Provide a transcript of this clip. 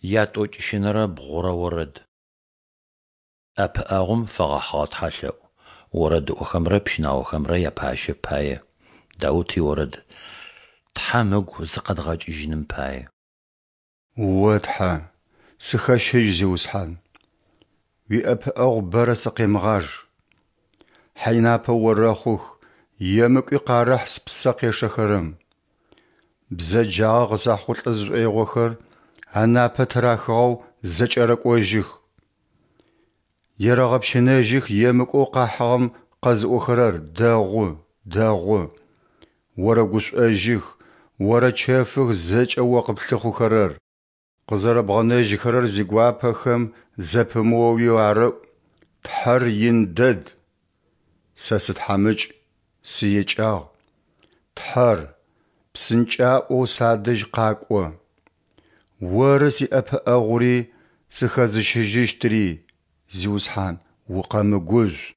Ятӏокӏищынэрэ бгъурэ орэд. Ӏэпыӏэгъум фэгъэхьыгъэ тхьэлъэӏу. Орэдыӏохэмрэ пщынаохэмрэ япащэ пае. Даут иорэд. Тхьэм ыгу зыкъэдгъэкӏыжьыным пае. О Тхьэ, сыхэщыжь, Зиусхьан, уиӏэпыӏэгъу бэрэ сыкъемыгъаж. Хьайнапэ орэхъух, емыкӏуи къарэхь спсэ къешэхэрэм. Бзэджагъэ къысахъулӏэ зышӏоигъохэр анапэ тырахыгъэу зэкӏэрэкӏожьых. Ерэгъэпщынэжьых емыкӏоу къахьыгъэм къэзыӏохэрэр: Дэгъу, дэгъу! Орэгушӏожьых, орэчэфых зэкӏэ О къыплъыхъухэрэр. Къызэрэбгъэнэжьыхэрэр зигуапэхэм зэпымыоуи арэӏу: Тхьэр ин дэд! Сэ сытхьамыкӏ, сыекӏагъ. Тхьэр, псынкӏаӏоу садэжь къакӏо! Оры сиӏэпыӏэгъури сыхэзыщыжьыщтыри, Зиусхьан, укъэмыгужъу.